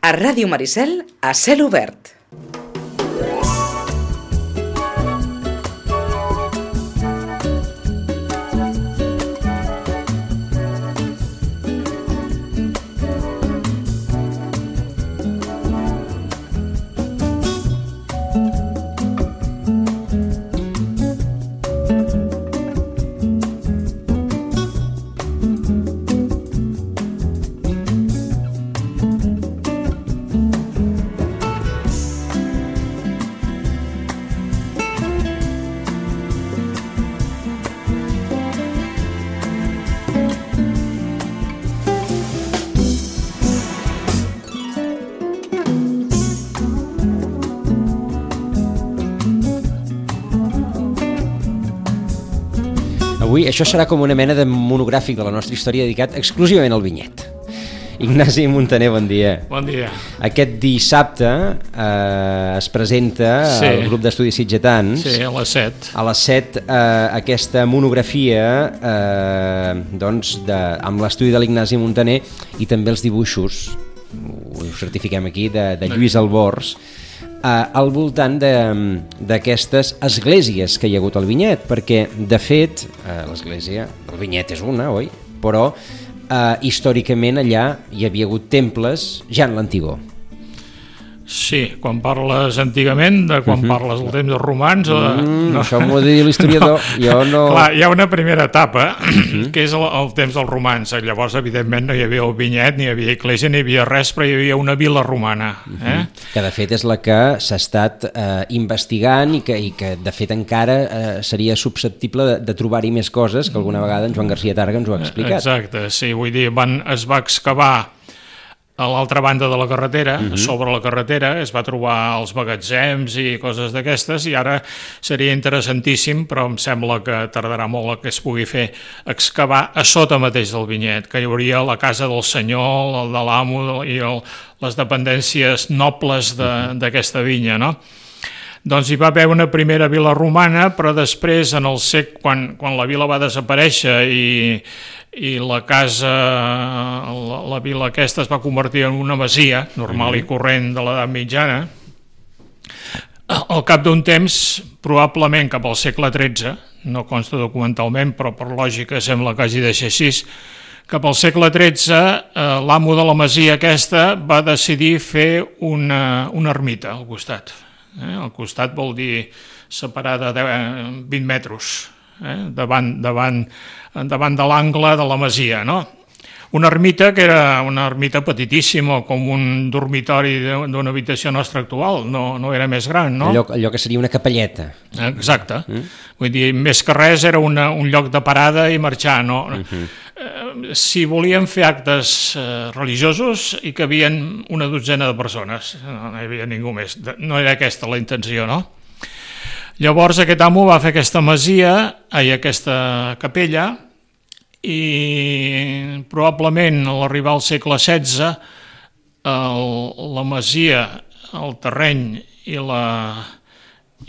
A Ràdio Maricel, a cel obert. Avui això serà com una mena de monogràfic de la nostra història dedicat exclusivament al vinyet. Ignasi Muntaner, bon dia. Bon dia. Aquest dissabte es presenta el grup d'estudis sitgetans. Sí, a les 7. A les 7 aquesta monografia amb l'estudi de l'Ignasi Muntaner i també els dibuixos, ho certifiquem aquí, de Lluís Albors, al voltant d'aquestes esglésies que hi ha hagut al vinyet, perquè de fet l'església del vinyet és una, oi? Però històricament allà hi havia hagut temples ja en l'antigor. Sí, quan parles antigament, de quan parles del temps dels romans o de... Això m'ho ha de dir l'historiador. Jo no... Clar, hi ha una primera etapa, que és el temps dels romans. Llavors, evidentment, no hi havia el vinyet, ni hi havia església, ni hi havia res, però hi havia una vila romana. Que de fet és la que s'ha estat investigant i que de fet encara seria susceptible de trobar-hi més coses, que alguna vegada en Joan Garcia Targa ens ho ha explicat. Exacte, sí, vull dir, es va excavar a l'altra banda de la carretera, sobre la carretera, es va trobar els magatzems i coses d'aquestes, i ara seria interessantíssim, però em sembla que tardarà molt que es pugui fer, excavar a sota mateix del vinyet, que hi hauria la casa del senyor, el de l'amo i les dependències nobles d'aquesta vinya, no? Doncs hi va haver una primera vila romana, però després, en el segle, quan la vila va desaparèixer i la casa, la vila aquesta es va convertir en una masia normal i corrent de l'edat mitjana, al cap d'un temps, probablement cap al segle XIII, no consta documentalment, però per lògica sembla que hagi de ser així, cap al segle XIII l'amo de la masia aquesta va decidir fer una ermita al costat. Al costat vol dir separada de 20 metres, davant de l'angle de la masia, no? Una ermita que era una ermita petitíssima, com un dormitori d'una habitació nostra actual, no era més gran, no? Allò que seria una capelleta. Exacte. Vull dir, més que res era un lloc de parada i marxar, no? Si volien fer actes religiosos hi cabien una dotzena de persones, no hi havia ningú més, no era aquesta la intenció, no? Llavors aquest amo va fer aquesta masia, aquesta capella, i probablement a l'arribar al segle XVI la masia, el terreny i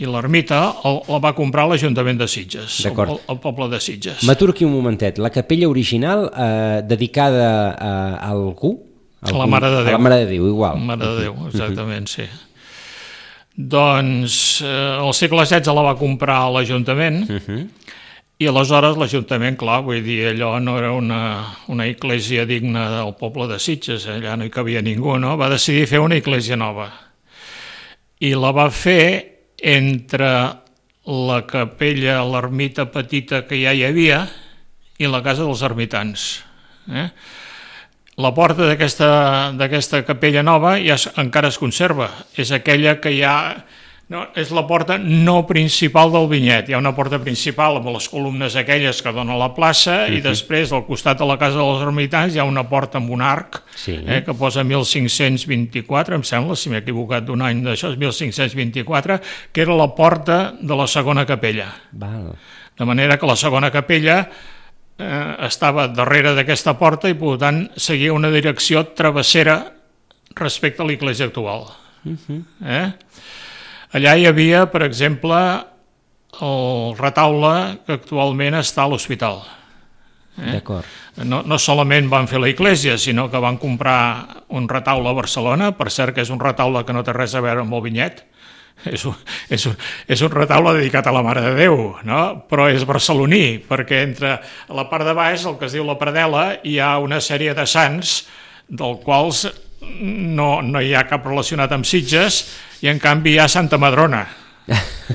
l'ermita la va comprar l'Ajuntament de Sitges, el poble de Sitges. M'aturo aquí un momentet. La capella original dedicada a algú? A la Mare de Déu. A la Mare de Déu, igual. La Mare de Déu, exactament, sí. Doncs al segle XVI la va comprar l'Ajuntament i aleshores l'Ajuntament, clar, vull dir, allò no era una església digna del poble de Sitges, allà no hi cabia ningú, no? Va decidir fer una església nova i la va fer entre la capella, l'ermita petita que ja hi havia i la casa dels ermitans. La porta d'aquesta capella nova ja encara es conserva, és aquella que ja... No, és la porta no principal del vinyet. Hi ha una porta principal amb les columnes aquelles que dona a la plaça i després al costat de la casa dels ermitans hi ha una porta amb un arc que posa 1524, em sembla, si m'he equivocat d'un any d'això, és 1524, que era la porta de la segona capella. De manera que la segona capella estava darrere d'aquesta porta i per tant seguia una direcció travessera respecte a l'església actual. Allà hi havia, per exemple, el retaule que actualment està a l'hospital. D'acord. No solament van fer la iglesia, sinó que van comprar un retaule a Barcelona, per cert que és un retaule que no té res a veure amb el vinyet, és un retaule dedicat a la Mare de Déu, no? Però és barceloní, perquè entre la part de baix, el que es diu la Pradela, hi ha una sèrie de sants, dels quals no hi ha cap relacionat amb Sitges, i en canvi hi ha Santa Madrona.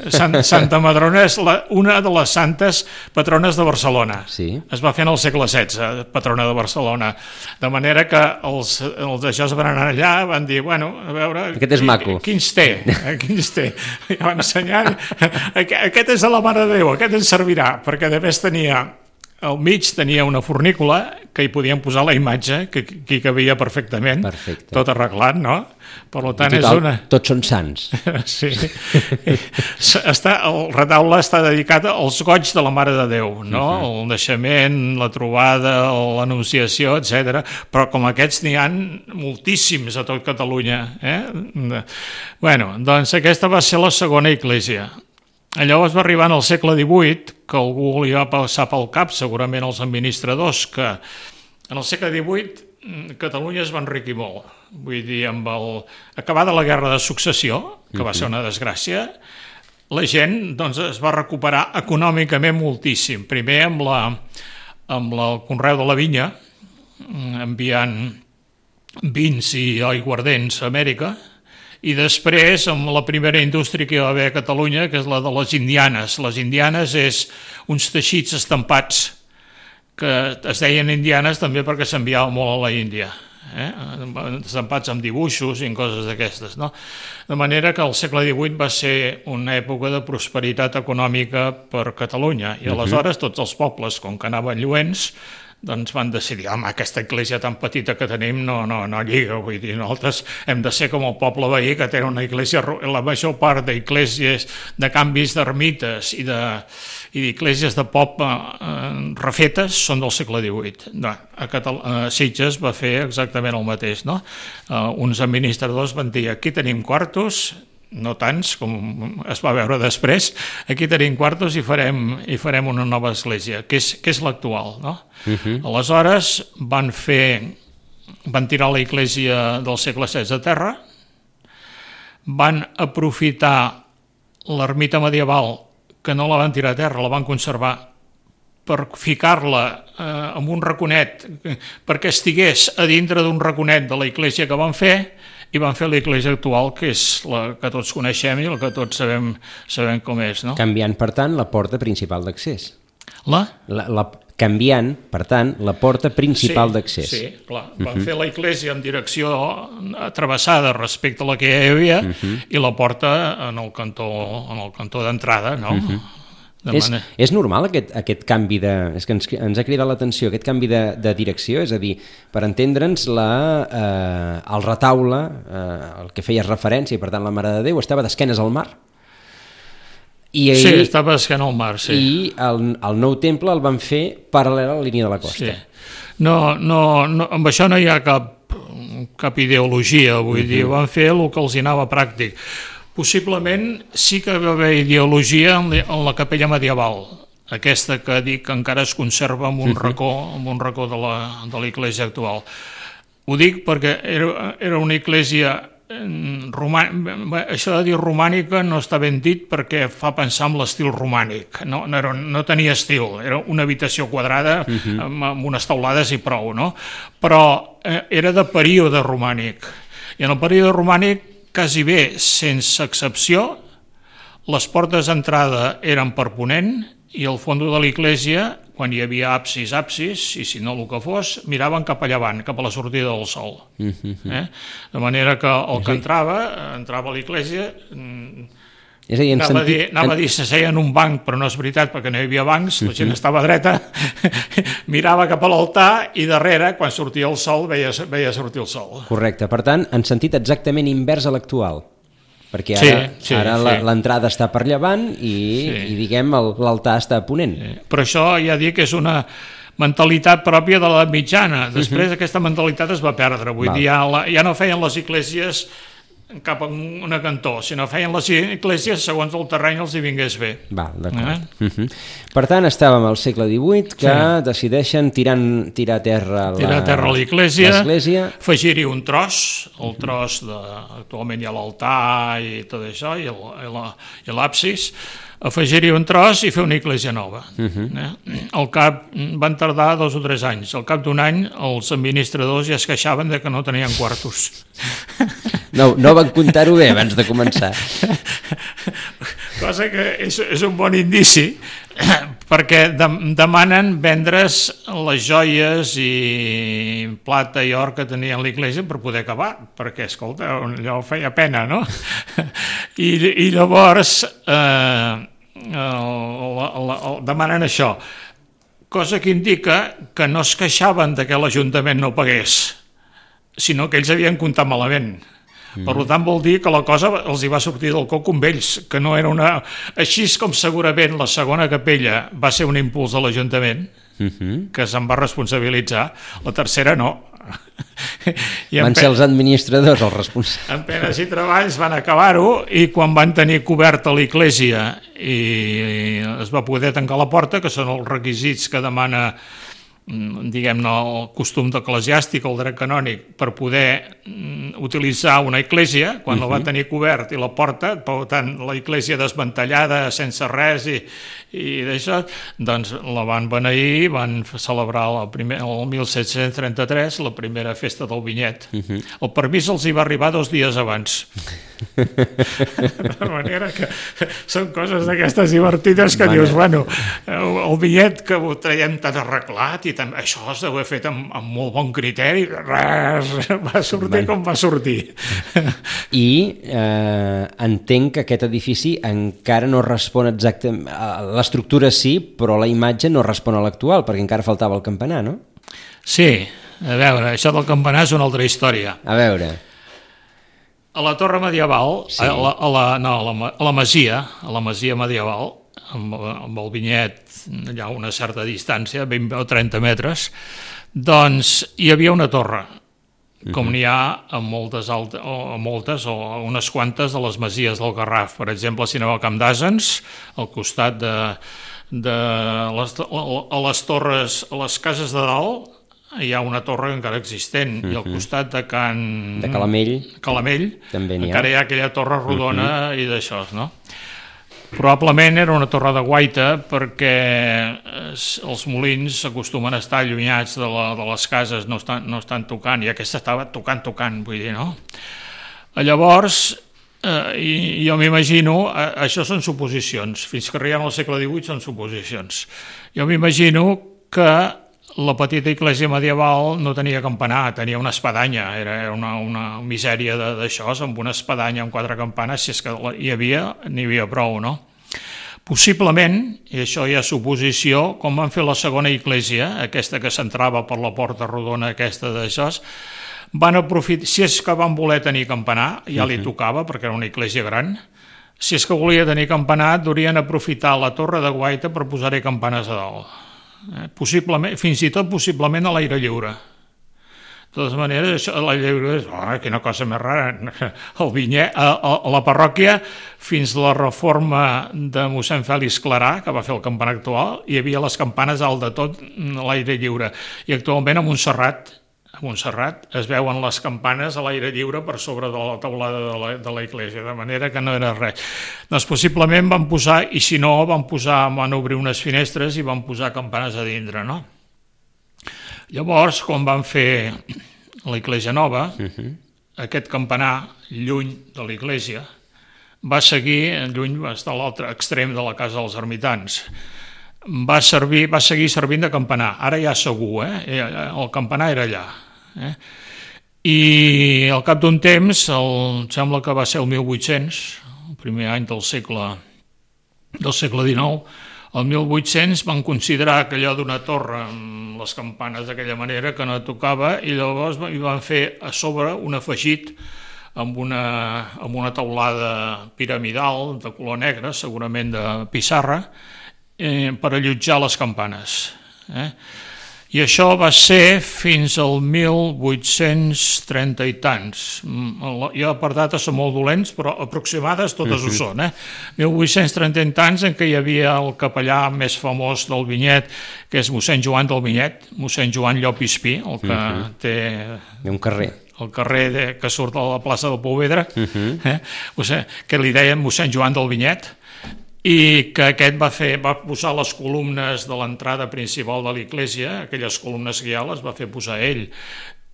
Santa Madrona és una de les santes patrones de Barcelona. Sí. Es va fer en el segle XVI, patrona de Barcelona. De manera que els d'això es van anar allà, van dir, bueno, a veure... Aquest és maco. Quins té? I van ensenyar, aquest és de la Mare de Déu, aquest ens servirà, perquè a més al mig tenia una fornícula que hi podien posar la imatge, que hi cabia perfectament, tot arreglat, no? Per tant, és una... Tots són sants. Sí. El retaule està dedicat als goigs de la Mare de Déu, no? El naixement, la trobada, l'anunciació, etc. Però com aquests n'hi ha moltíssims a tot Catalunya. Bueno, doncs aquesta va ser la segona església. Llavors va arribar al segle XVIII, que algú li va passar pel cap, segurament els administradors, que en el segle XVIII Catalunya es va enriquir molt. Vull dir, acabada la Guerra de Successió, que va ser una desgràcia, la gent es va recuperar econòmicament moltíssim. Primer amb el conreu de la vinya, enviant vins i aiguardents a Amèrica, i després amb la primera indústria que hi va haver a Catalunya, que és la de les indianes. Les indianes és uns teixits estampats que es deien indianes també perquè s'enviava molt a la Índia, estampats amb dibuixos i coses d'aquestes, no? De manera que el segle XVIII va ser una època de prosperitat econòmica per Catalunya, i aleshores tots els pobles, com que anaven lluents, doncs van decidir, home, aquesta església tan petita que tenim no lliga, vull dir, nosaltres hem de ser com el poble veí, que té una església, la major part d'esglésies, de canvis d'ermites i d'esglésies de poble refetes són del segle XVIII. A Sitges va fer exactament el mateix, no? Uns administradors van dir, aquí tenim quartos, no tants com es va veure després, aquí tenim quartos i farem una nova església, que és l'actual, no? Aleshores van tirar la església del segle XVI a terra, van aprofitar l'ermita medieval, que no la van tirar a terra, la van conservar, per ficar-la en un raconet, perquè estigués a dintre d'un raconet de la església que van fer, i van fer l'església actual, que és la que tots coneixem i la que tots sabem com és, no? Canviant, per tant, la porta principal d'accés. Canviant, per tant, la porta principal d'accés. Sí, clar. Van fer l'església en direcció travessada respecte a la que hi havia i la porta en el cantó d'entrada, no? És normal aquest canvi de... És que ens ha cridat l'atenció, aquest canvi de direcció, és a dir, per entendre'ns, el retaule, el que feies referència, i per tant la Mare de Déu, estava d'esquenes al mar? Sí, estava d'esquena al mar, sí. I el nou temple el van fer paral·lel a la línia de la costa. Sí. No, amb això no hi ha cap ideologia, vull dir, van fer el que els hi anava pràctic. Possiblement sí que va haver ideologia en la capella medieval, aquesta que dic que encara es conserva en un racó de l'església actual. Ho dic perquè era una església romànica, això de dir romànica no està ben dit perquè fa pensar en l'estil romànic, no tenia estil, era una habitació quadrada amb unes taulades i prou, no? Però era de període romànic, i en el període romànic quasi bé, sense excepció, les portes d'entrada eren per ponent i al fons de l'església, quan hi havia absis, i si no el que fos, miraven cap a llevant, cap a la sortida del sol. De manera que el que entrava a l'església... Anava a dir s'asseia en un banc, però no és veritat perquè no hi havia bancs, la gent estava dreta, mirava cap a l'altar i darrere, quan sortia el sol, veia sortir el sol. Correcte, per tant, en sentit exactament invers a l'actual, perquè ara l'entrada està per llevant i diguem l'altar està a ponent. Però això ja dic que és una mentalitat pròpia de la mitjana. Després aquesta mentalitat es va perdre, vull dir, ja no feien les esglésies cap a una cantó, sinó feien les esglésies segons el terreny els hi vingués bé. Val, d'acord. Per tant, estàvem al segle XVIII que decideixen tirar a terra l'església, afegir-hi un tros, el tros actualment hi ha l'altar i tot això, i l'absis, afegir-hi un tros i fer una església nova. Al cap, van tardar 2 o 3 anys. Al cap d'un any, els administradors ja es queixaven de que no tenien quartos. No van comptar-ho bé abans de començar. Cosa que és un bon indici, perquè demanen vendre's les joies i plata i or que tenien l'església per poder acabar, perquè, escolta, allò feia pena, no? I llavors demanen això, cosa que indica que no es queixaven de que l'Ajuntament no pagués, sinó que ells havien comptat malament. Per tant, vol dir que la cosa els hi va sortir del coc amb ells, que no era una... Així com segurament la segona capella va ser un impuls de l'Ajuntament, que se'n va responsabilitzar, la tercera no. Van ser els administradors els responsables. En penes i treballs van acabar-ho, i quan van tenir coberta l'església i es va poder tancar la porta, que són els requisits que demana, diguem-ne, el costum eclesiàstic, el dret canònic, per poder utilitzar una església, quan la va tenir cobert i la porta, per tant, la església desmantellada, sense res i d'això, doncs la van beneir, van celebrar el 1733 la primera festa del vinyet. El permís els hi va arribar 2 dies abans. De manera que són coses d'aquestes divertides que dius, bueno, el vinyet que ho traiem tan arreglat i això es deu haver fet amb molt bon criteri, res, va sortir com va sortir. I entenc que aquest edifici encara no respon exactament, l'estructura sí, però la imatge no respon a l'actual, perquè encara faltava el campanar, no? Sí, a veure, això del campanar és una altra història. A veure... A la torre medieval, sí. a la masia medieval, amb el vinyet allà a una certa distància, 20 o 30 metres, doncs hi havia una torre, com n'hi ha a moltes o unes quantes de les masies del Garraf. Per exemple, si aneu al Camp d'Àsens, al costat de les torres, a les cases de dalt, hi ha una torre encara existent, i al costat de Calamell encara hi ha aquella torre rodona i d'això, no? Probablement era una torre de guaita, perquè els molins s'acostumen a estar allunyats de les cases, no estan tocant, i aquesta estava tocant, vull dir, no? Llavors, jo m'imagino, això són suposicions, fins que arribem al segle XVIII són suposicions, jo m'imagino que la petita església medieval no tenia campanar, tenia una espadanya, era una misèria d'això, amb una espadanya amb 4 campanes, si és que n'hi havia prou, no? Possiblement, i això ja és suposició, com van fer la segona església, aquesta que s'entrava per la porta rodona aquesta d'això, van aprofitar, si és que van voler tenir campanar, ja li tocava, perquè era una església gran, si és que volia tenir campanar, durien aprofitar la torre de guaita per posar-hi campanes a dalt. Possiblement, fins i tot possiblement a l'aire lliure. De totes maneres, això a l'aire lliure és quina cosa més rara. El vinyet, a la parròquia, fins a la reforma de mossèn Fèlix Clarà, que va fer el campanar actual, hi havia les campanes alt de tot a l'aire lliure. I actualment a Montserrat es veuen les campanes a l'aire lliure per sobre de la teulada de la església, de manera que no era res. Doncs possiblement van posar, i si no, van obrir unes finestres i van posar campanes a dintre, no? Llavors, quan van fer l'església nova, aquest campanar, lluny de l'església, va seguir, lluny, va estar a l'altre extrem de la casa dels ermitans, va seguir servint de campanar. Ara ja segur, el campanar era allà. I al cap d'un temps, sembla que va ser el 1800, el primer any del segle XIX, el 1800 van considerar que allò d'una torre amb les campanes d'aquella manera que no tocava, i llavors hi van fer a sobre un afegit amb una teulada piramidal de color negre, segurament de pissarra, per allotjar les campanes. I això va ser fins al 1830 i tants. Jo per dates són molt dolents, però aproximades totes ho són. 1830 i tants, en què hi havia el capellà més famós del Vinyet, que és mossèn Joan del Vinyet, mossèn Joan Llop i Espí, el que té... un carrer. El carrer que surt a la plaça del Pouvedre, que li deien mossèn Joan del Vinyet, i que aquest va posar les columnes de l'entrada principal de l'església, aquelles columnes que ja les va fer posar ell,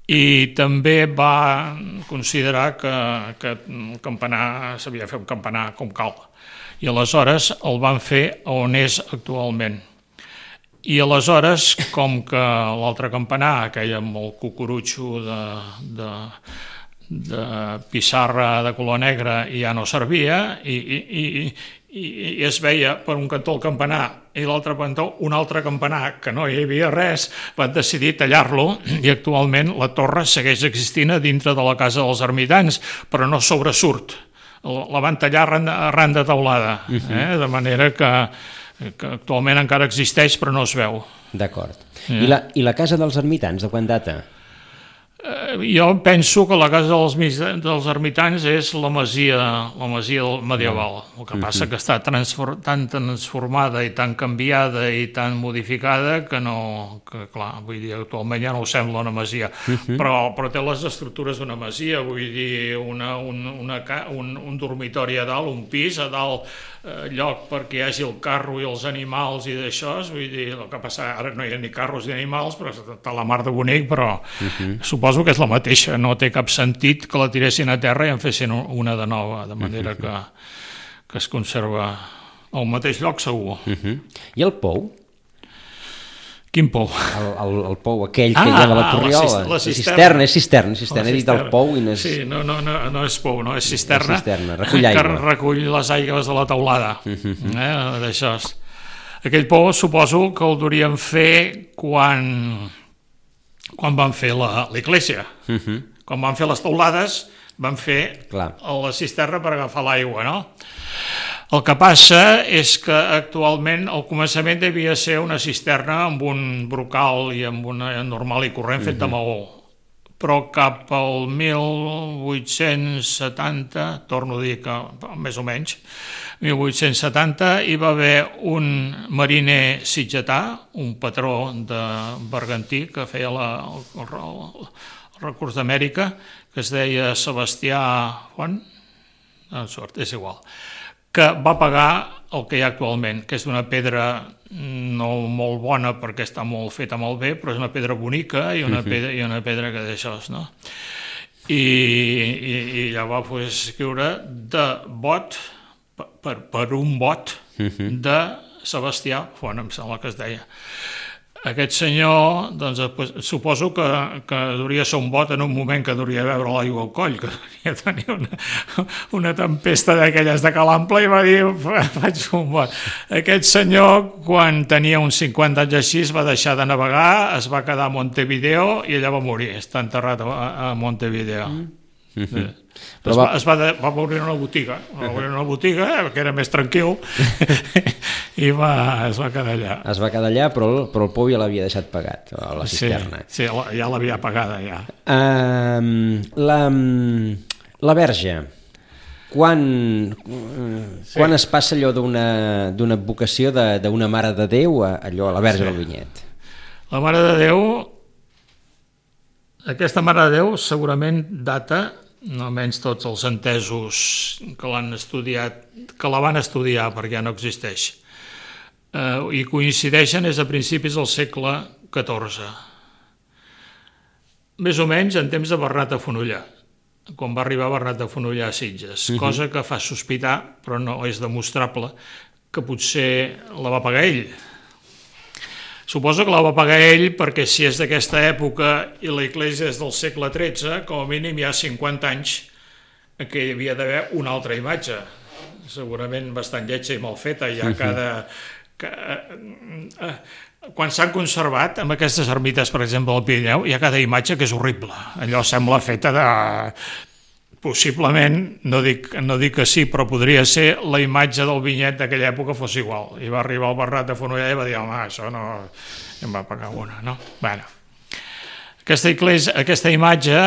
i també va considerar que el campanar s'havia de fer un campanar com cal, i aleshores el van fer on és actualment. I aleshores, com que l'altre campanar, aquell amb el cucurutxo de pissarra de color negre, ja no servia, i es veia per un cantó el campanar i l'altre cantó un altre campanar, que no hi havia res, van decidir tallar-lo, i actualment la torre segueix existint a dintre de la casa dels ermitans, però no sobresurt. La van tallar arran de teulada, de manera que actualment encara existeix però no es veu. D'acord. I la casa dels ermitans, de quan data? Jo penso que la casa dels ermitans és la masia medieval. El que passa que està tan transformada i tan canviada i tan modificada que clar, vull dir, actualment ja no ho sembla una masia, però té les estructures d'una masia, vull dir, un dormitori a dalt, un pis a dalt, lloc perquè hi hagi el carro i els animals i d'això, vull dir, el que passa ara no hi ha ni carros ni animals, però està la mar de bonic, però suposo que és la mateixa, no té cap sentit que la tiressin a terra i en fessin una de nova, de manera que es conserva al mateix lloc segur. I el pou? Quin pou? El pou aquell que hi ha de la Corriola. La cisterna. És cisterna. He dit el pou i no és... Sí, no és pou, no, és cisterna. Recull aigua. Que recull les aigües de la teulada. D'això. Aquell pou suposo que el durien fer quan van fer l'església. Quan van fer les teulades van fer la cisterna per agafar l'aigua, no? El que passa és que actualment al començament devia ser una cisterna amb un brocal i amb una normal i corrent fet de maó, però cap al 1870, torno a dir que més o menys, 1870 hi va haver un mariner sitgetà, un patró de bergantí que feia el recurs d'Amèrica, que es deia Sebastià Font, és igual, que va pagar el que hi ha actualment, que és una pedra no molt bona perquè està molt feta molt bé, però és una pedra bonica i una pedra que d'això, no? I ja va poder escriure de bot, per un bot de Sebastià Font, em sembla que es deia. Aquest senyor, doncs, suposo que hauria de ser un bot en un moment que hauria de veure l'aigua al coll, que hauria de tenir una tempesta d'aquelles de calample i va dir, faig un bot. Aquest senyor, quan tenia uns 50 anys així, va deixar de navegar, es va quedar a Montevideo i allà va morir, està enterrat a Montevideo. Va obrir una botiga, que era més tranquil, i es va quedar allà. Es va quedar allà, però el pou ja l'havia deixat pagat, la cisterna. Sí, ja l'havia pagada, ja. La Verge, quan es passa allò d'una vocació d'una Mare de Déu a la Verge del Vinyet? La Mare de Déu, aquesta Mare de Déu segurament data, no almenys tots els entesos que l'han estudiat, que la van estudiar perquè ja no existeix, i coincideixen és a principis del segle XIV, més o menys en temps de Bernat de Fonollar, quan va arribar Bernat de Fonollar a Sitges, cosa que fa sospitar, però no és demostrable, que potser la va pagar ell. Suposo que la va pagar ell perquè si és d'aquesta època i la Iglésia és del segle XIII, com a mínim hi ha 50 anys que hi havia d'haver una altra imatge, segurament bastant lletja i mal feta. Quan s'han conservat, amb aquestes ermites, per exemple, al Pirineu, hi ha cada imatge que és horrible. Allò sembla feta de... Possiblement, no dic que sí, però podria ser la imatge del Vinyet d'aquella època fos igual. I va arribar el Bernat de Fonollar i va dir, home, això no... I em va pagar una, no? Bueno, aquesta imatge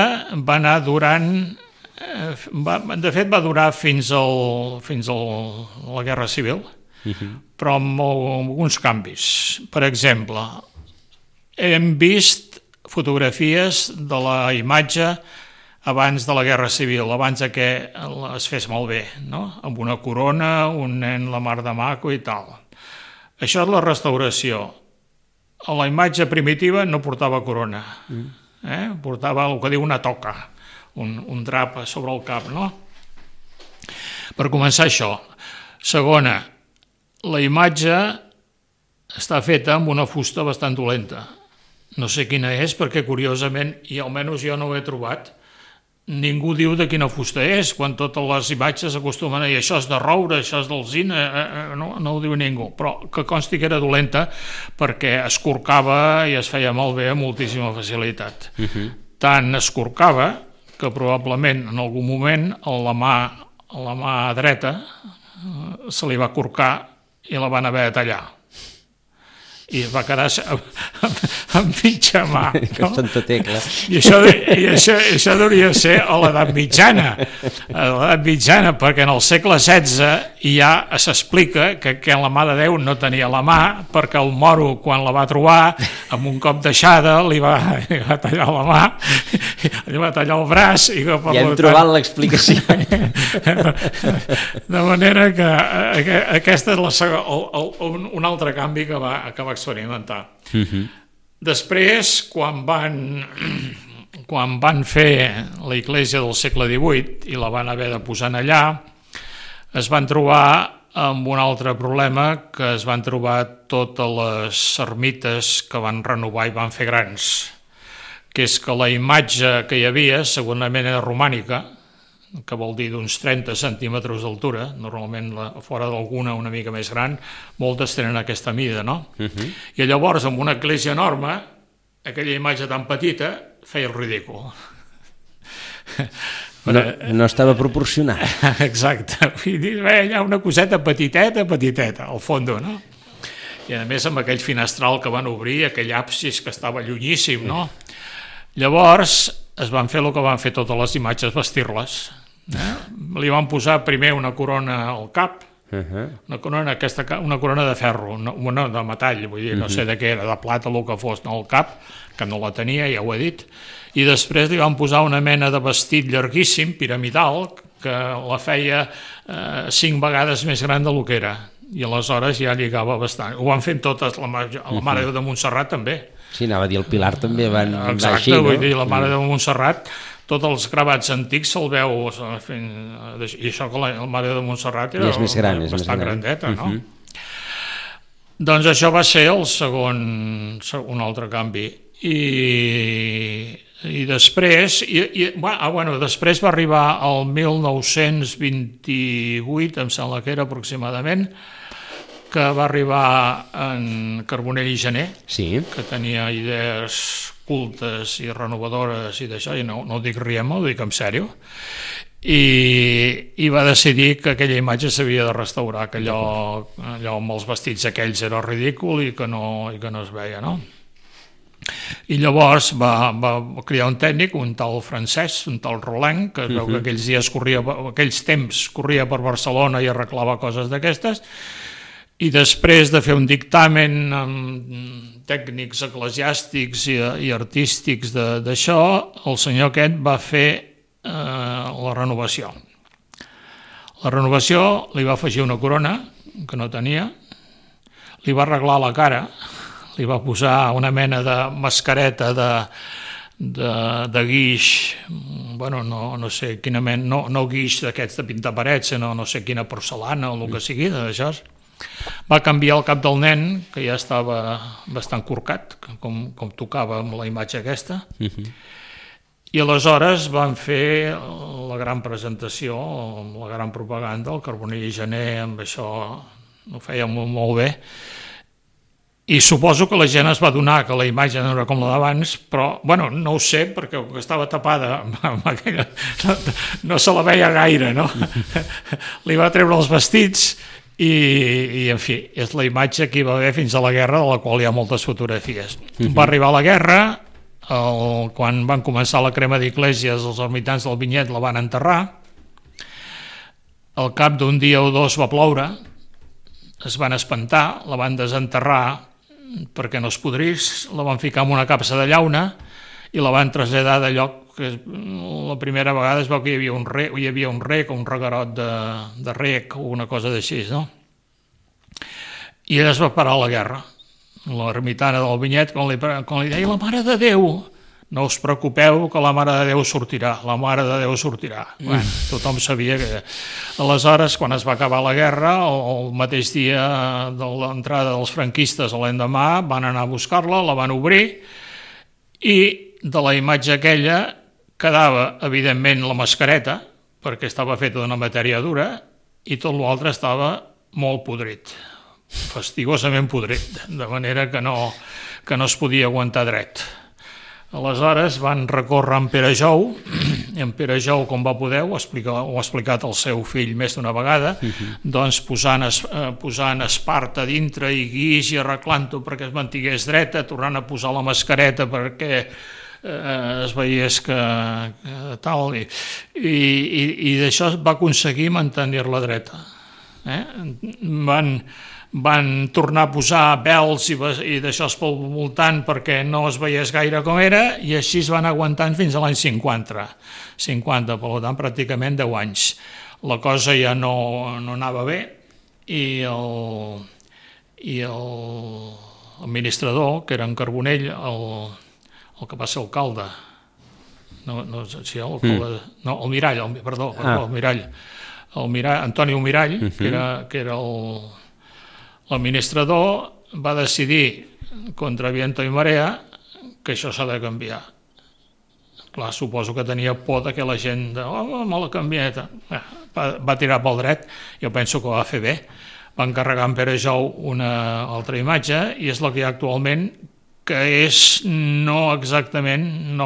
va anar durant... de fet, va durar fins a la Guerra Civil, però amb alguns canvis. Per exemple, hem vist fotografies de la imatge abans de la Guerra Civil, abans que es fes malbé, no? Amb una corona, un nen la mar de maco i tal. Això és la restauració. A la imatge primitiva no portava corona, portava el que diu una toca, un drap sobre el cap, no? Per començar això. Segona, la imatge està feta amb una fusta bastant dolenta. No sé quina és, perquè curiosament, i almenys jo no ho he trobat, ningú diu de quina fusta és, quan totes les imatges acostumen a dir això és de roure, això és d'alzina, no ho diu ningú, però que consti que era dolenta perquè es corcava i es feia malbé amb moltíssima facilitat. Tant es corcava que probablement en algun moment a la mà dreta se li va corcar i la van haver de tallar. I va quedar amb mitja mà. Que santa tecla. I això hauria de ser a l'edat mitjana. A l'edat mitjana, perquè en el segle XVI ja s'explica que la mà de Déu no tenia la mà, perquè el moro, quan la va trobar, amb un cop d'aixada, li va tallar la mà, li va tallar el braç... Ja hem trobat l'explicació. De manera que aquest és un altre canvi que va experimentar. Després, quan van fer la església del segle XVIII i la van haver de posar allà, es van trobar amb un altre problema, que es van trobar totes les ermites que van renovar i van fer grans, que és que la imatge que hi havia segurament era romànica, que vol dir d'uns 30 centímetres d'altura, normalment fora d'alguna una mica més gran, moltes tenen aquesta mida, no? I llavors, amb una església enorme, aquella imatge tan petita feia el ridícul. No estava proporcionat. Exacte, hi ha una coseta petiteta, al fons, no? I a més amb aquell finestral que van obrir, aquell absis que estava llunyíssim, no? Llavors es van fer el que van fer totes les imatges, vestir-les. Li van posar primer una corona al cap, una corona de ferro, una de metall, vull dir, no sé de què era, de plata, el que fos, no, al cap, que no la tenia, ja ho he dit, i després li van posar una mena de vestit llarguíssim, piramidal, que la feia 5 vegades més gran del que era, i aleshores ja lligava bastant. Ho van fent totes, la Mare de Montserrat també. Sí, anava a dir, el Pilar també van exacte, així, no? Vull dir, la Mare de Montserrat, tots els gravats antics se'l veu fent... I això que la Mare de Montserrat era bastant grandeta, no? Doncs això va ser un altre canvi. I després... després va arribar el 1928, em sembla que era aproximadament, que va arribar en Carbonell i Gener, que tenia idees cultes i renovadores i d'això, i no ho dic rient, ho dic en sèrio, i va decidir que aquella imatge s'havia de restaurar, que allò amb els vestits aquells era ridícul i que no es veia, no? I llavors va crear un tècnic, un tal francès, un tal Roland, que es veu que aquells temps corria per Barcelona i arreglava coses d'aquestes, i després de fer un dictamen amb tècnics eclesiàstics i artístics d'això, el senyor aquest va fer la renovació. La renovació li va afegir una corona, que no tenia, li va arreglar la cara, li va posar una mena de mascareta de guix, bueno, no sé quina mena, no guix d'aquests de pintar parets, sinó no sé quina porcelana o el que sigui, d'això. Va canviar el cap del nen, que ja estava bastant corcat, com tocava amb la imatge aquesta, i aleshores van fer la gran presentació, la gran propaganda, el Carbonell i Gener, amb això ho feia molt bé, i suposo que la gent es va adonar que la imatge no era com la d'abans, però, bueno, no ho sé, perquè estava tapada amb aquella... no se la veia gaire, no? Li va treure els vestits i en fi, és la imatge que hi va haver fins a la guerra, de la qual hi ha moltes fotografies. Va arribar la guerra, quan van començar la crema d'iglesias, els ermitans del Vinyet la van enterrar. Al cap d'un dia o dos va ploure, es van espantar, la van desenterrar perquè no es podrís, la van ficar en una capsa de llauna i la van traslladar de lloc que la primera vegada es veu que hi havia un rec o un reguerot de rec o una cosa d'així, no? I ella es va parar la guerra. L'ermitana del Vinyet, quan li deia la Mare de Déu, no us preocupeu que la Mare de Déu sortirà, la Mare de Déu sortirà. Bueno, tothom sabia que... Aleshores, quan es va acabar la guerra, el mateix dia de l'entrada dels franquistes a l'endemà, van anar a buscar-la, la van obrir, i de la imatge aquella quedava, evidentment, la mascareta, perquè estava feta d'una matèria dura, i tot l'altre estava molt podrit, fastigosament podrit, de manera que no es podia aguantar dret. Aleshores van recórrer en Pere Jou, i en Pere Jou, com va poder, ho ha explicat el seu fill més d'una vegada, doncs posant esparta dintre i guix i arreglant-ho perquè es mantingués dreta, tornant a posar la mascareta perquè es veiés que tal, i d'això va aconseguir mantenir-la dreta. Van tornar a posar vels i d'això pel voltant perquè no es veiés gaire com era, i així es van aguantant fins a l'any 50, per tant pràcticament 10 anys. La cosa ja no anava bé, i l'administrador, que era en Carbonell, el que va ser alcalde, el Mirall, Antoni Mirall, que era l'administrador, va decidir contra viento i marea que això s'ha de canviar. Clar, suposo que tenia por que la gent me la canviat. Va tirar pel dret, jo penso que ho va fer bé. Va encarregar en Pere Jou una altra imatge, i és la que hi ha actualment, que és no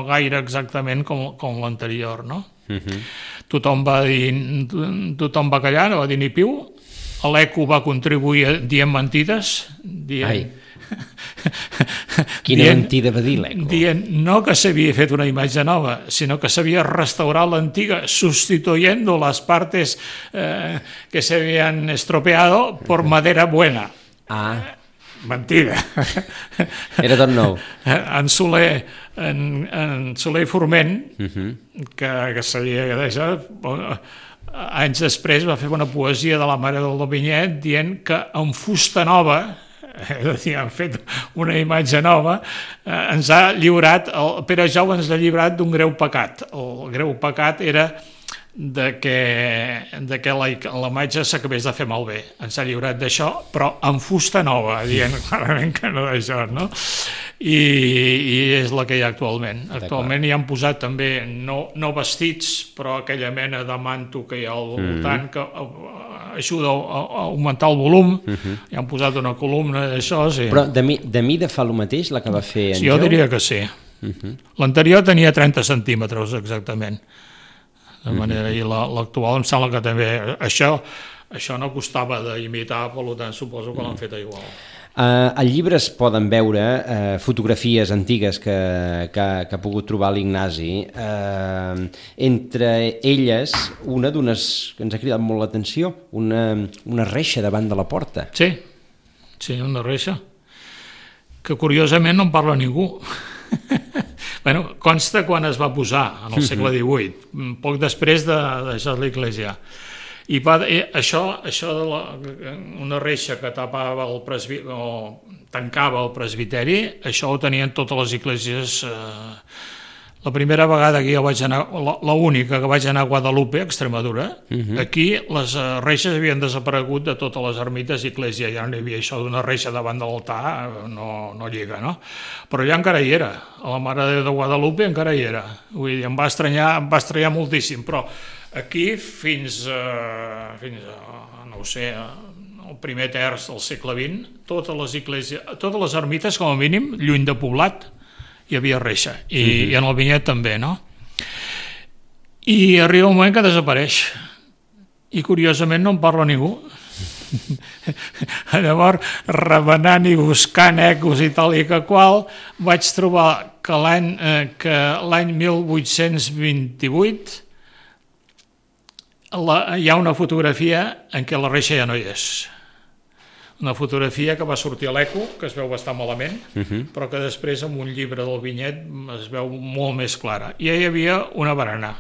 gaire exactament com l'anterior, no? Tothom va callar, no va dir ni piu. L'ECO va contribuir dient mentides, Quina mentida va dir l'ECO? Dient no que s'havia fet una imatge nova, sinó que s'havia restaurat l'antiga, sustituyendo las partes que se habían estropeado por madera buena. Mentida. Era tot nou. En Soler i Forment, que sabia que d'això, anys després va fer una poesia de la Mare del Vinyet dient que amb fusta nova, és a dir, han fet una imatge nova, ens ha lliurat, el Pere Jou ens ha lliurat d'un greu pecat. El greu pecat era que la imatge s'acabés de fer malbé. Ens ha lliurat d'això, però amb fusta nova, dient clarament que no d'això, no? I és la que hi ha actualment. Actualment hi han posat també, no vestits, però aquella mena de manto que hi ha al voltant, que ajuda a augmentar el volum. Hi han posat una columna d'això, sí. Però de mida fa el mateix, la que va fer en Jou? Jo diria que sí. L'anterior tenia 30 centímetres, exactament. De manera, i l'actual em sembla que també això no costava d'imitar, per tant suposo que l'han fet igual. Al llibre es poden veure fotografies antigues que ha pogut trobar l'Ignasi, entre elles una d'unes que ens ha cridat molt l'atenció, una reixa davant de la porta. Sí, una reixa que curiosament no en parla ningú. Bueno, consta quan es va posar, en el segle XVIII, poc després de deixar l'església. I això de una reixa que tapava tancava el presbiteri, això ho tenien totes les esglésies. La primera vegada que jo vaig anar, l'única que vaig anar a Guadalupe, a Extremadura, aquí les reixes havien desaparegut de totes les ermites i esglésies, ja no hi havia això d'una reixa davant de l'altar, no lliga, no? Però allà encara hi era, a la Mare de Déu de Guadalupe encara hi era, vull dir, em va estranyar moltíssim, però aquí fins no ho sé, el primer terç del segle XX, totes les esglésies, totes les ermites, com a mínim, lluny de poblat, hi havia reixa, i en el Vinyet també, no? I arriba un moment que desapareix, i curiosament no en parla ningú. Llavors, remenant i buscant ecos i tal i que qual, vaig trobar que l'any 1828 hi ha una fotografia en què la reixa ja no hi és. Una fotografia que va sortir a l'Eco, que es veu bastant malament, però que després en un llibre del Vinyet es veu molt més clara. I hi havia una barana.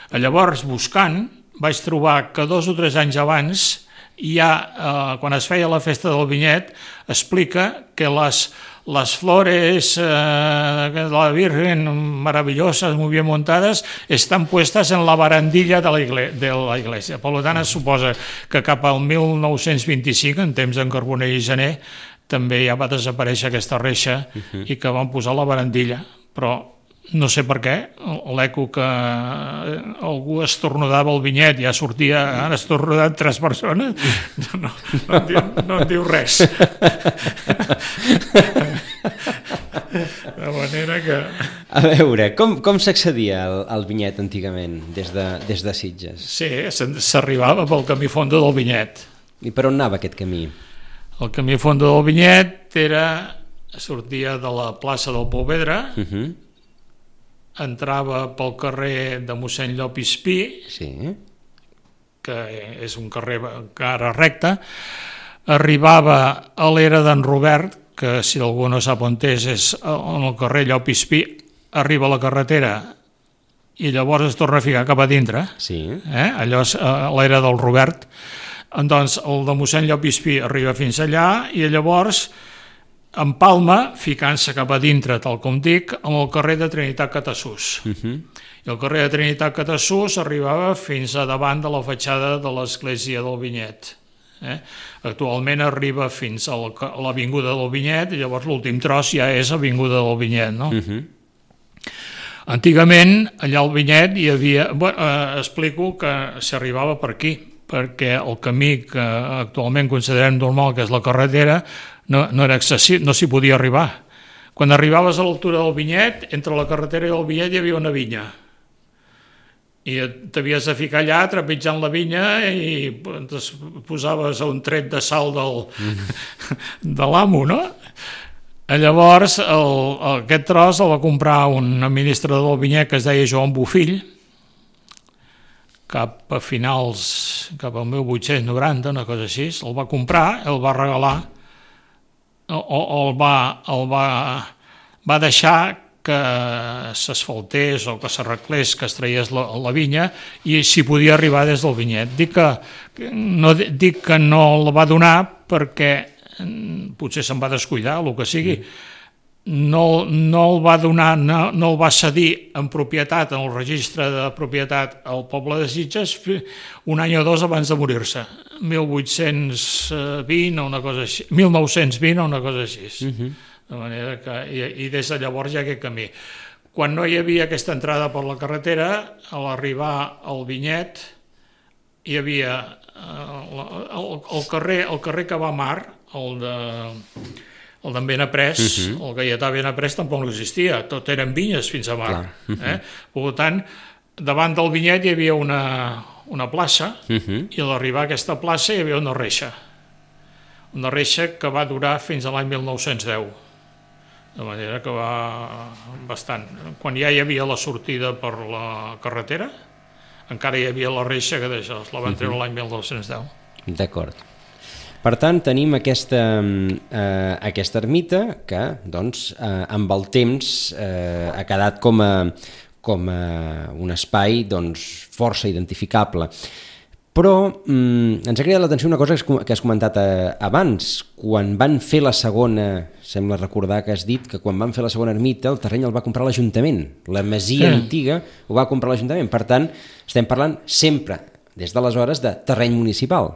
Llavors, buscant, vaig trobar que 2 o 3 anys abans, ja, quan es feia la festa del Vinyet, explica que las flores de la Virgen maravillosas, muy bien montadas, están puestas en la barandilla de la iglesia. Per tant, es suposa que cap al 1925, en temps d'en Carbonell i Gener, també ja va desaparèixer aquesta reixa i que van posar la barandilla. Però no sé per què, l'eco que algú estornudava el Vinyet ja sortia, han estornudat 3 persones, no en diu res. De manera que... A veure, com s'accedia al Vinyet antigament, des de Sitges? Sí, s'arribava pel camí fondo del Vinyet. I per on anava aquest camí? El camí fondo del Vinyet sortia de la plaça del Pouvedre, entrava pel carrer de mossèn Llopis Pi, que és un carrer cara recta, arribava a l'era d'en Robert, que si algú no sap on és en el carrer Llopis Pi, arriba a la carretera i llavors es torna a ficar cap a dintre. Allò és l'era del Robert. Doncs el de mossèn Llopis Pi arriba fins allà i llavors en Palma, ficant-se cap a dintre, tal com dic, amb el carrer de Trinitat Catassús. I el carrer de Trinitat Catassús arribava fins a davant de la fatxada de l'església del Vinyet. Actualment arriba fins a l'avinguda del Vinyet i llavors l'últim tros ja és avinguda del Vinyet, no? Antigament, allà al Vinyet hi havia... explico que s'arribava per aquí, perquè el camí que actualment considerem normal, que és la carretera, no era accessible, no s'hi podia arribar. Quan arribaves a l'altura del Vinyet, entre la carretera i el Vinyet hi havia una vinya. I t'havies de ficar allà trepitjant la vinya i posaves un tret de sal de l'amo, no? Llavors, aquest tros el va comprar un administrador del Vinyet que es deia Joan Bofill, cap al 1890, una cosa així, el va comprar, el va regalar, el va deixar que s'asfaltés o que s'arreglés, que es traiés la vinya i s'hi podia arribar des del Vinyet. Dic que no la va donar perquè potser se'n va descuidar, el que sigui. No el va donar, no el va cedir en propietat, en el registre de propietat al poble de Sitges un any o 2 abans de morir-se, 1920 o una cosa així. De manera que, i des de llavors hi ha aquest camí. Quan no hi havia aquesta entrada per la carretera, a l'arribar al Vinyet hi havia el carrer que va a Mar, el d'en Benaprés, el Gaietà Benaprés tampoc no existia, tot eren vinyes fins a Mar. Per tant, davant del Vinyet hi havia una plaça i a l'arribar a aquesta plaça hi havia una reixa que va durar fins a l'any 1910. De manera que va bastant. Quan ja hi havia la sortida per la carretera, encara hi havia la reixa que d'això la van treure l'any 1910. D'acord. Per tant, tenim aquesta ermita que, doncs, amb el temps ha quedat com un espai força identificable. Però ens ha cridat l'atenció una cosa que has comentat abans. Quan van fer la segona, sembla recordar que has dit que quan van fer la segona ermita el terreny el va comprar l'Ajuntament. La masia antiga ho va comprar l'Ajuntament. Per tant, estem parlant sempre, des d'aleshores, de terreny municipal.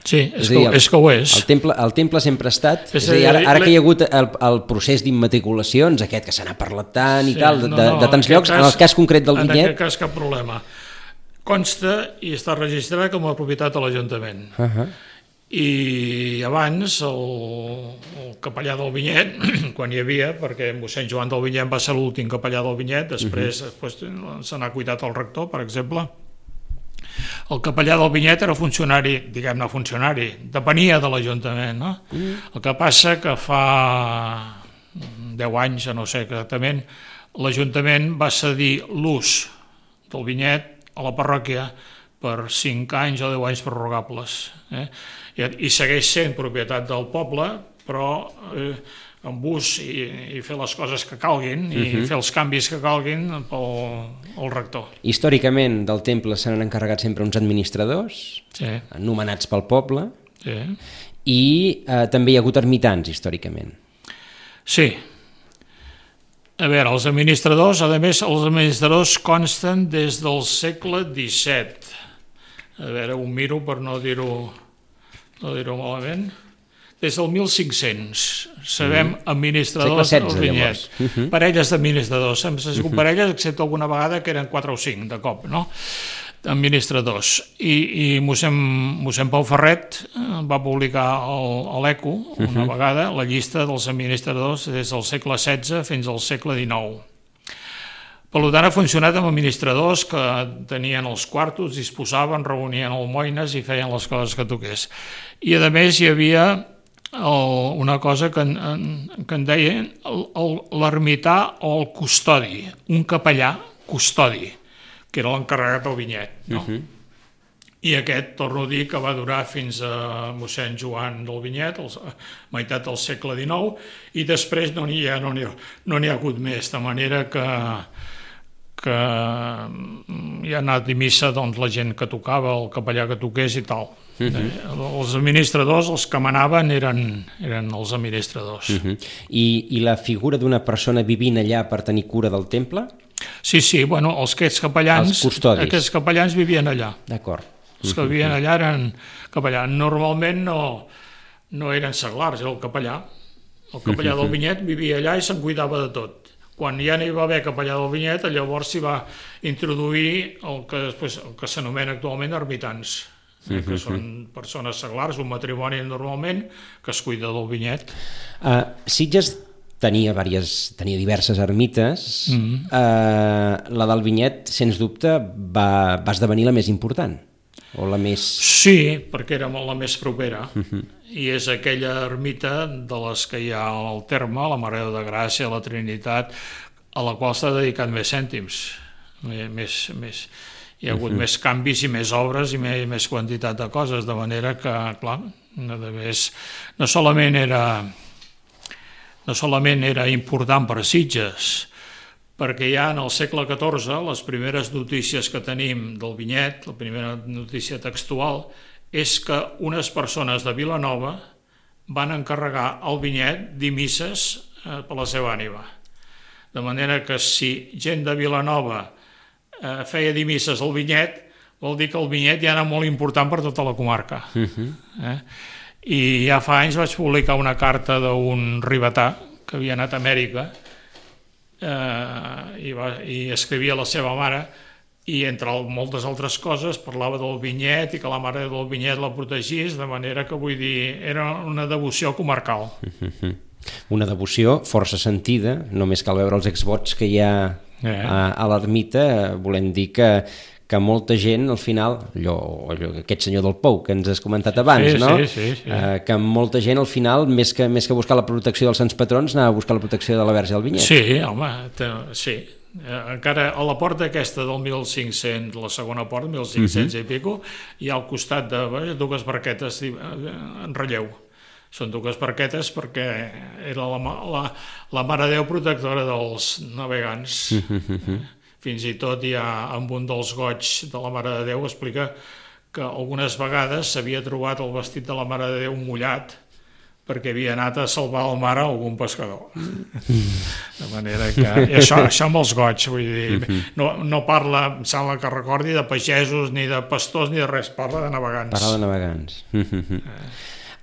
Sí, és que ho és. El temple sempre ha estat... És a dir, ara que hi ha hagut el procés d'immatriculacions, aquest que se n'ha parlat tant i tal, de tants llocs, en el cas concret del Vinyet... En aquest cas cap problema. Consta i està registrat com a propietat de l'Ajuntament. I abans el capellà del Vinyet, quan hi havia, perquè mossèn Joan del Vinyet va ser l'últim capellà del Vinyet, després se n'ha cuidat el rector, per exemple, El capellà del Vinyet era funcionari, diguem-ne funcionari, depenia de l'Ajuntament, no? El que passa que fa 10 anys, no sé exactament, l'Ajuntament va cedir l'ús del Vinyet a la parròquia per 5 anys o 10 anys prorrogables. I segueix sent propietat del poble, però amb ús i fer les coses que calguin i fer els canvis que calguin pel rector. Històricament del temple se n'han encarregat sempre uns administradors, nomenats pel poble, i també hi ha hagut ermitans històricament. Sí. A veure, els administradors, a més, els administradors consten des del segle XVII. A veure, ho miro per no dir-ho malament. Des del 1500 sabem administradors del Vinyet. Parelles d'administradors. Hem sigut parelles, excepte alguna vegada que eren 4 o 5 de cop, no? Administradors. I mossèn Pau Ferret va publicar a l'Eco una vegada la llista dels administradors des del segle XVI fins al segle XIX. Per tant, ha funcionat amb administradors que tenien els quartos, disposaven, reunien almoines i feien les coses que toqués. I a més hi havia una cosa que en deien l'ermità o el custodi, un capellà custodi, que era l'encarregat del Vinyet. No? I aquest, torno a dir, que va durar fins a mossèn Joan del Vinyet, meitat del segle XIX, i després no n'hi ha hagut més, de manera que hi ha anat a missa la gent que tocava, el capellà que toqués i tal. Els administradors, els que manaven, eren els administradors. I la figura d'una persona vivint allà per tenir cura del temple? Sí, bueno, aquests capellans vivien allà. D'acord. Els que vivien allà eren capellans. Normalment no eren seglars, era el capellà. El capellà del Vinyet vivia allà i se'n cuidava de tot. Quan ja n'hi va haver capellà del Vinyet, llavors s'hi va introduir el que s'anomena actualment ermitans, que són persones seglars, un matrimoni normalment, que es cuida del Vinyet. Sitges tenia diverses ermites. La del Vinyet, sens dubte, va esdevenir la més important, o la més... Sí, perquè era la més propera. I és aquella ermita de les que hi ha al terme, la Mare de Gràcia, la Trinitat, a la qual s'ha dedicat més cèntims. Hi ha hagut més canvis i més obres i més quantitat de coses, de manera que, clar, no solament era important per a Sitges, perquè ja en el segle XIV les primeres notícies que tenim del Vinyet, la primera notícia textual, és que unes persones de Vilanova van encarregar al Vinyet dir misses per la seva ànima. De manera que si gent de Vilanova feia dir misses al Vinyet, vol dir que el Vinyet ja era molt important per tota la comarca. I ja fa anys vaig publicar una carta d'un ribetà que havia anat a Amèrica i escrivia a la seva mare, i entre moltes altres coses parlava del Vinyet i que la mare del Vinyet la protegís, de manera que, vull dir, era una devoció comarcal. Una devoció força sentida, només cal veure els exvots que hi ha a l'ermita, volem dir que molta gent, al final, aquest senyor del Pou que ens has comentat abans, no? Sí. Que molta gent, al final, més que buscar la protecció dels sants patrons, anava a buscar la protecció de la Verge del Vinyet. Sí, home, sí. Encara a la porta aquesta del 1500, la segona porta, 1500 i pico, hi ha al costat de dues barquetes en relleu. Són dues barquetes perquè era la Mare de Déu protectora dels navegants. Fins i tot hi ha, amb un dels goigs de la Mare de Déu, explica que algunes vegades s'havia trobat el vestit de la Mare de Déu mullat perquè havia anat a salvar al mar a algun pescador. De manera que... I això amb els goigs, vull dir, no parla, em sembla que recordi, de pagesos, ni de pastors, ni de res, parla de navegants. Parla de navegants.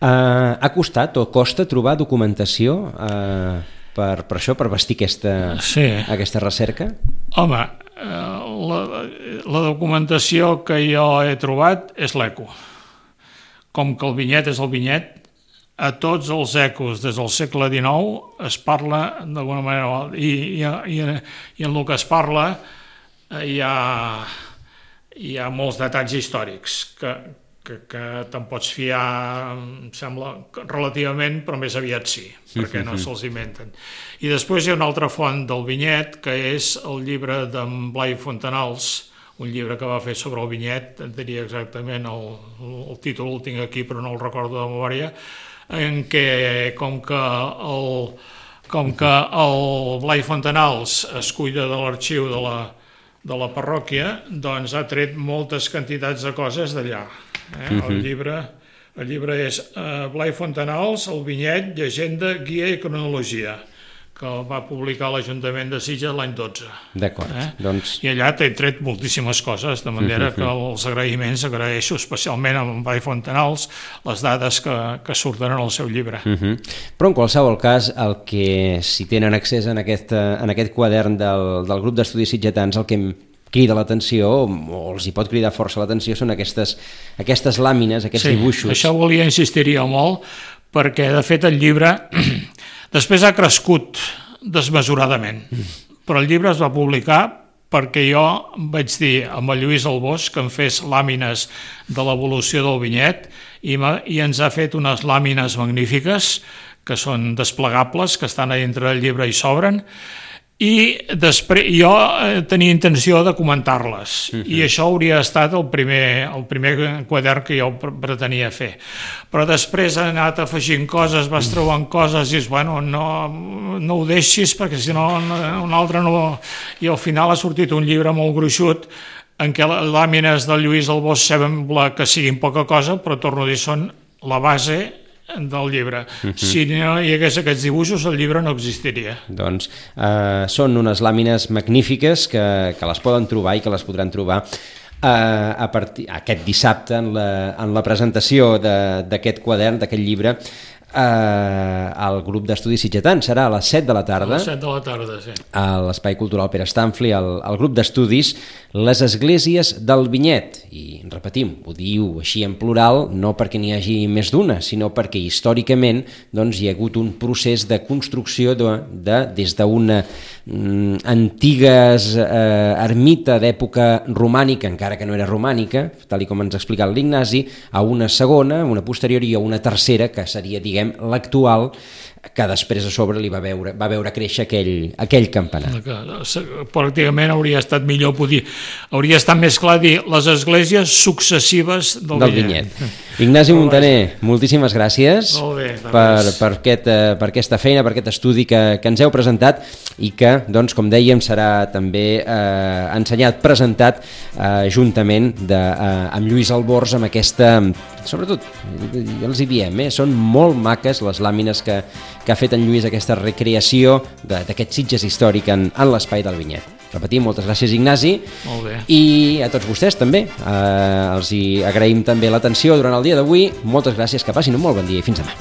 Ha costat o costa trobar documentació per això, per vestir aquesta recerca? Home, la documentació que jo he trobat és l'Eco. Com que el Vinyet és el Vinyet, a tots els ecos des del segle XIX es parla d'alguna manera, i en el que es parla hi ha hi ha molts detalls històrics que te'n pots fiar, em sembla, relativament, però més aviat sí, perquè no se'ls inventen. I després hi ha una altra font del vinyet, que és el llibre d'en Blai Fontanals, un llibre que va fer sobre el vinyet, et diria exactament el títol, el tinc aquí però no el recordo de memòria, en què com que el Blai Fontanals es cuida de l'arxiu de la parròquia, doncs ha tret moltes quantitats de coses d'allà. El llibre és Blai Fontanals, el vinyet, llegenda, guia i cronologia, que el va publicar l'Ajuntament de Sitges l'any 12. D'acord. Doncs... I allà t'he tret moltíssimes coses, de manera que els agraïments agraeixo especialment a Blai Fontanals les dades que surten en el seu llibre. Però en qualsevol cas, el que si tenen accés en aquest quadern del grup d'estudis sitgetans, el que crida l'atenció, o els hi pot cridar força l'atenció, són aquestes làmines, aquests dibuixos. Sí, això volia insistir-hi molt, perquè de fet el llibre després ha crescut desmesuradament, però el llibre es va publicar perquè jo vaig dir amb el Lluís Albós que em fes làmines de l'evolució del vinyet i ens ha fet unes làmines magnífiques que són desplegables, que estan a dintre del llibre i s'obren, i després jo tenia intenció de comentar-les i això hauria estat el primer quadern que jo pretenia fer, però després he anat afegint coses, vas trobant coses i dius, bueno, no ho deixis perquè si no un altre no, i al final ha sortit un llibre molt gruixut en què les làmines del Lluís Albós sembla que siguin poca cosa, però torno a dir, són la base del llibre. Si no hi hagués aquests dibuixos, el llibre no existiria. Doncs són unes làmines magnífiques que les poden trobar i que les podran trobar aquest dissabte en la presentació d'aquest quadern, d'aquest llibre, al grup d'estudis sitgetans. Serà a les 7 de la tarda. A les 7 de la tarda, sí. A l'Espai Cultural Pere Stanfli, al grup d'estudis Les Esglésies del Vinyet. I repetim, ho diu així en plural, no perquè n'hi hagi més d'una, sinó perquè històricament doncs, hi ha hagut un procés de construcció des d'una antigues ermita d'època romànica, encara que no era romànica, tal com ens ha explicat l'Ignasi, a una segona, una posterior i a una tercera, que seria, diguem, l'actual, que després a sobre li va veure créixer aquell campanar. Pràcticament hauria estat millor hauria estat més clar dir les esglésies successives del vinyet. Ignasi Muntaner, moltíssimes gràcies per aquesta feina, per aquest estudi que ens heu presentat i que, doncs, com dèiem, serà també ensenyat, presentat juntament amb Lluís Albors, amb aquesta, sobretot, ja els hi diem, són molt maques les làmines que ha fet en Lluís, aquesta recreació d'aquest Sitges històric en l'espai del vinyet. Repetim, moltes gràcies, Ignasi. Molt bé. I a tots vostès també. Els hi agraïm també l'atenció durant el dia d'avui. Moltes gràcies, que passin un molt bon dia i fins demà.